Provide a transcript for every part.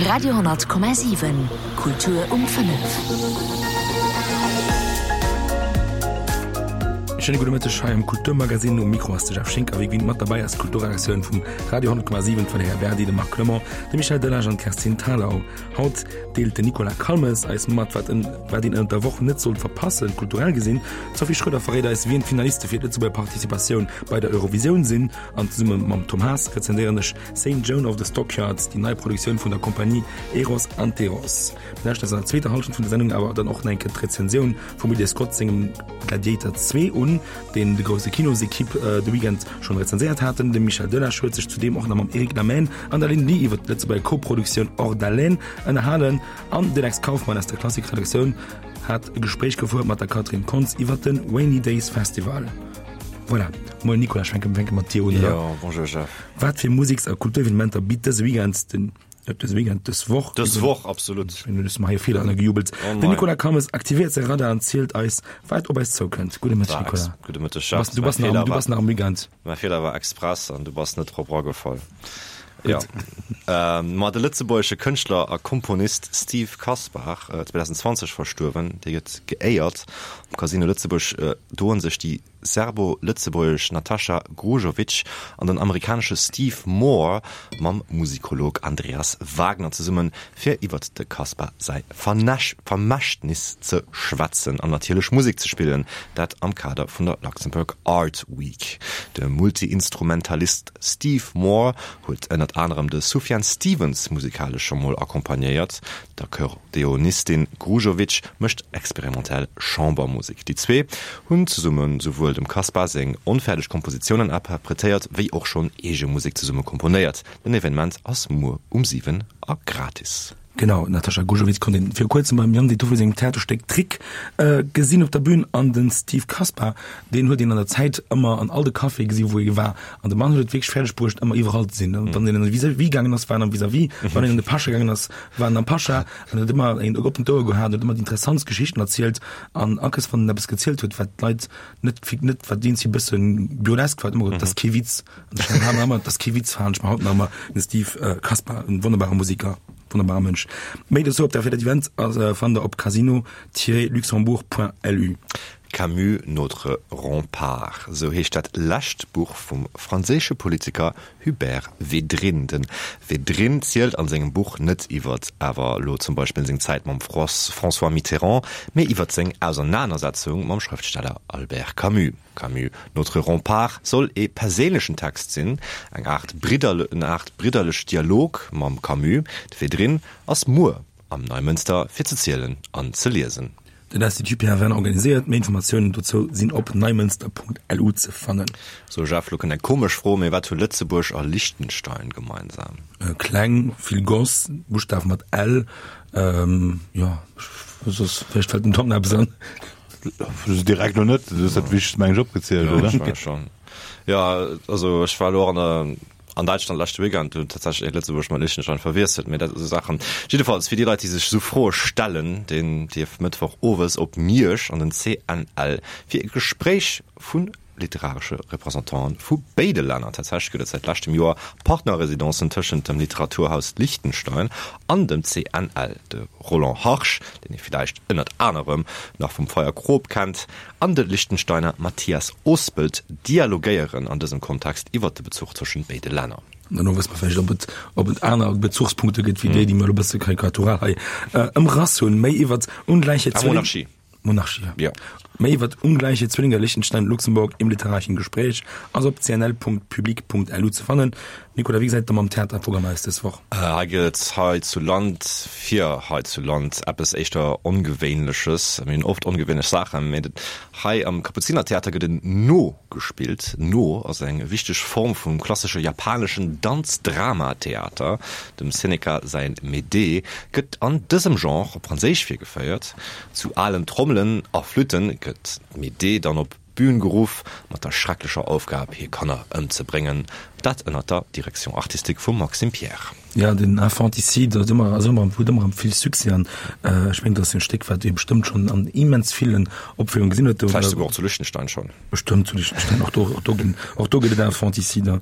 Radio,7 Kultur um 5. Schéine gudde Mëtteg hei am Kulturmagazine. Um Mikro ass de Jeff Schinker. Wéi gewinnt mat derbäi ass d'Kulturredaktioun vum Radio 10,7, d'Valerija Berdi, de Marc Clement, de Michel Delage an d'Kerstin Thalau. Haut deelt den Nicolas Calmes eis mat, wat en wat een ënnert der Woch net sollt verpassen, kulturell gesinn. D'Sophie Schroeder verréit eis, wien d'Finaliste fir d'Lëtzebuerger Participatioun bei der Eurovisioun sinn. An zesumme mam Tom Haas rezenséieren ech Saint Joan of the Stockyards, déi nei Produktioun vun der Compagnie Eros Anteros. Mir lauschteren eis an der zweeter Hallschent vun der Sendung awer dann och nach eng Kéier d'Rezensioun vum Ridley Scott sengem Gladiator 2 un, deen de grousse Kinosequipe de Weekend schonn rezenséiert haten. De Michel Delage huet sech zudeem och nach mam Eric Lamaine an der Lynn Lee iwwer d'Lëtzebuerger Co-Produktioun Hors d'haleine ënnerhalen an de Lex Kauffmann aus der Klassik-Redaktioun hat e Gespréich gefouert mat der Catherine Kontz iwwer de Rainy Days Festival. Voilà, moien Nicolas, ech fänke fänke mat dir un, oder? Jo, bonjour Jeff. Wat fir Museks a Kulturevenementer bitt dëse Weekend den, net dëse Weekend, dës Woch? Dës Woch, absolut. Ech hunn hei e Feeler ënnergejubelt. Oh Den nein. Nicolas Calmes aktivéiert säi Radar an zielt eis, wat op eis zoukënnt. Gudde Mëtteg, War ex, Nicolas. gudde Mëtteg, Du Jeff. bass, du bass Mäi nach am, Feeler du war, bass nach am Weekend. mäi Feeler war express an du bass net drop eragefall. Jo. Ma de lëtzebuergesche Kënschtler a Komponist Steve Kaspar, 2020 verstuerwen, dee gëtt geéiert. Am Casino Lëtzebuerg doen sech déi serbo-lëtzebuergesch Natasha Grujovic an den amerikanesche Steve Moore mam Musikolog Andreas Wagner zesummen, fir iwwert de Kaspar säi Vermächtnis ze schwätzen an natierlech Musek ze spillen, dat am Kader vun der Luxembourg Art Week. De Multi-Instrumentalist Steve Moore huet ënnert anerem de Sufjan Stevens musikalesch scho mol accompagnéiert. D'Akkordeonistin Grujovic mécht experimentell Chambermusek. Déi zwee hunn zesumme souwuel dem Kaspar seng onfäerdeg Kompositiounen interpretéiert, wéi och schonn eege Musek zesumme komponéiert. Den Evenement ass muer um 7 a gratis. Genau, d'Natasha Gujovic konnt een viru kuerzem beim Yann Detoffoli sengem Theaterstéck Trick gesinn op der Bühn an den Steve Kaspar, deen huet een an der Zäit ëmmer an all de Caféë gesi wou ee war an de Mann huet et wierklech fäerdeg bruecht ëmmer iwwerall ze sinn. Wann een an de Vis-à-vis gaangen ass, war en am Vis-à-vis, wann een an de Pascha gaangen ass, war en am Pascha an huet ëmmer een oppent Ouer gehat, huet ëmmer déi interessantst Geschichten erzielt an akes wann en eppes gezielt huet wat d'Leit net, net wat deen si bëssen burlesk war, huet ëmmer gesot, dat ass kee Witz. Das kee Witz fahren ech mer haut nach ëmmer den Steve Kaspar, en wonnerbare Musiker, wonnerbare Mënsch. Méi dozou op der fir dat Event ass fannt der op casino-luxembourg.lu. Camus, notre rempart, esou heescht dat lescht Buch vum franséische Politiker Hubert Védrine. De Védrine zielt an sengem Buch net iwwert awer elo zum Beispill seng Zäit mam François Mitterrand, mee iwwert seng Ausernanersetzung mam Schrëftsteller Albert Camus. Camus, Notre rempart soll ee perséinlechen Text sinn, eng Aart en Aart bridderlech Dialog mam Camus. De Védrine ass muer am Neimënster fir ze zielen an ze liesen. Den Institut Pierre Werner organiséiert. Méi Informatiounen dozou sinn op neimënster.lu ze fannen. So Jeff, lo kënnt eng komesch Fro, mee wat hu Lëtzebuerg a Liechtenstein gemeinsam? Kleng, vill Goss, Buschtaf mat L, jo, soss vläicht fält dem Tom nach eppes an. Direkt lo net, du hues dat Wichtegst meng ech opgezielt, Ja, oder? ech menge schon. Ja, also ech war elo och an der an Däitschland leschte Weekend, do tatsächlech ee Lëtzebuerg mat Liechtenstein verwiesselt, mee dat esou Saachen. Jiddefalls fir déi Leit, déi sech esou Froe stellen, deen dierf Mëttwoch owes op Miersch an den CNL fir e Gespréich vu literaresche Representanten vu béide Länner. Tatsächlech gëtt et säit leschtem Joer Partnerresidencen tëschent dem Literaturhaus Liechtenstein an dem CNL. De Roland Harsch, deen ee villäicht ënnert anerem nach vum Feier Kroop kennt, an de Liechtensteiner Matthias Ospelt dialogéieren an dësem Kontext iwwer de Bezuch tëschent béide Länner. Dann wësse mer vläicht, ob et, ob et aner Bezuchspunkte gëtt wéi déi, déi mer elo e bësse karikatural hei ëmrass hunn. Méi iwwer ungläiche Ah, Monarchie. Monarchie, ja. Ja. Méi iwwer ungläiche Zwillinge Liechtenstein und Luxemburg im literarischen Gespräch ass op cnl.public.lu ze fannen. Nicolas, wéi gesäit et da mam Theaterprogramm aus dës Woch? Hei gëtt et hei zu Land fir hei zu Land eppes éischter Ongewéinleches. Mir hunn oft ongewéinlech Saachen, mee hei am Kapuzinertheater gëtt en No gespillt. No ass eng wichteg Form vum klassesche japaneschen Danz-Drama-Theater. Dem Seneca säin Médée gëtt an dësem Genre op Franséisch virgeféiert. Zu alen Trommelen a Flütten gëtt d'Médée dann op d'Bühn geruff, mat der schrecklecher Aufgab hir Kanner ëmzebréngen, dat ënnert der Direction artistique vum Maxime Pierre. Ja, den Infanticide ass ëmmer, ass ëmmer, huet ëmmer vill Succès an ech mengen, dat ass en Stéck, wat ee bestëmmt schonn an immens villen Opféierunge gesinn huet. Vläicht souguer och zu Liechtenstein schonn. Bestëmmt zu Liechtenstein, och do, och do ginn, och do gëtt et Infanticide.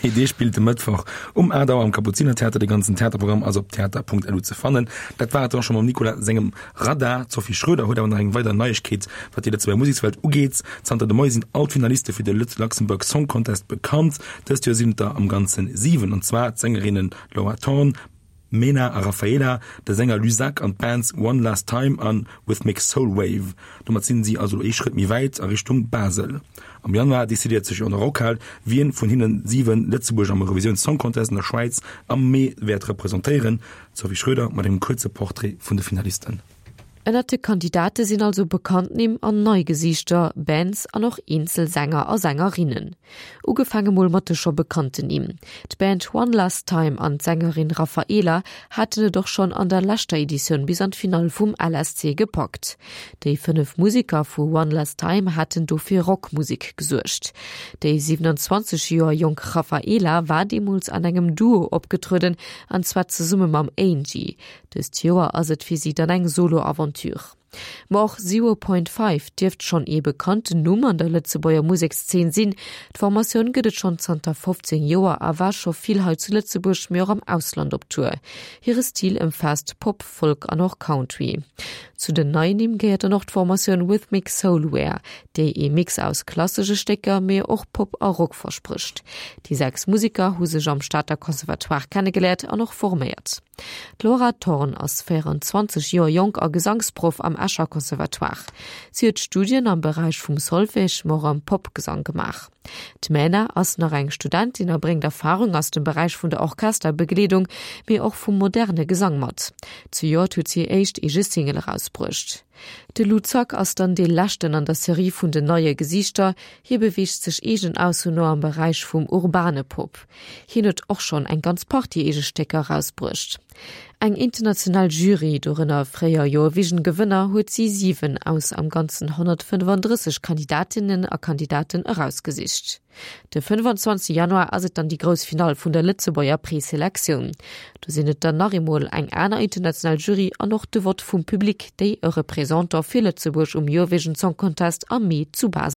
Mee dee spillt de Mëttwoch um 8 Auer am Kapuzinertheater. De ganzen Theaterprogramm ass op theater.lu ze fannen. Dat war et dann scho mam Nicolas sengem Radar. D'Sophie Schroeder huet awer nach eng weider Neiegkeet, wat déi Lëtzebuerger Musekswelt ugeet. Zanter de Moie sinn all d'Finaliste fir de Luxembourg Song Contest bekannt. Dëst Joer sinn et der am Ganze 7, an zwar d'Sängerinne Laura Thorn, Mena a Raphaela, de Sänger Luzac an d'Bands One Last Time a Rhythmic Soul Wave. Domat sinn si also ee Schrëtt méi wäit a Richtung Basel. Am Januar decidéiert sech an der Rockhal, wien vun hinnen 7 Lëtzebuerg am Eurovisioun Song Contest an der Schwäiz am Mee wäert representéieren. D'Sophie Schröder mat engem kuerze Portrait vun de Finalisten. Ënnert de Kandidate sinn also bekannt Nimm an nei Gesiichter, Bands an och eenzel Sänger a Sängerinnen. Ugefaange mol mat de scho bekannten Nimm. D'Band One Last Time an d'Sängerin Raphaela haten et och schonn an der leschter Editioun bis an d'Finall vum LSC gepackt. Déi 5 Museker vu One Last Time haten do fir Rockmusek gesuergt. Déi 27 Joer jonk Raphaela war deemools an engem Duo opgetrueden, an zwar zesumme mam Angie. Dëst Joer ass et fir si dann eng Solo-Aventure. Ma och Zero Point Five dierft schonn ee bekannten Numm an der Lëtzebuerger Musekszeen sinn. D'Formatioun gëtt et schonn zanter 15 Joer a war scho vill hei zu Lëtzebuerg, mee och am Ausland op Tour. Hire Stil ëmfaasst Pop, Folk an och Country. Zu den neien Nimm gehéiert dann och d'Formatioun Rhythmic Soulwear, déi ee Mix aus klassesche Stécker, mee och Pop a Rock versprécht. Déi 6 Museker hu sech am Stater Conservatoire kennegeléiert an och forméiert. D'Laura Thorn ass 24 Joer jonk a Gesangsproff am Escher Conservatoire. Si huet Studien am Beräich vum Solfège, ma och am Popgesang gemaach. D'Mena ass nach eng Studentin a bréngt Erfarung aus dem Beräich vun der Orchesterbegleedung, mee och vum moderne Gesang mat. Zejoert huet si hir éischt eege Single erausbruecht. De Lou Zack ass dann dee leschten an der Serie vun den neie Gesiichter. Hie beweegt sech eegenen Aussoen no am Beräich vum urbane Pop. Hien huet och schonn eng ganz Partie eege Stécker erausbruecht. Eng international Jury, dorënner fréier Eurovision-Gewënner, huet si 7 aus am Ganzen 135 Kandidatinnen a Kandidaten erausgesicht. De 25 Januar ass et dann déi grouss Finall vun der Lëtzebuerger Preselektioun. Do sinn et dann nach eemol eng aner international Jury an och de Vott vum Public, déi e Représentant fir Lëtzebuerg um Eurovision Song Contest am Mee zu Basel.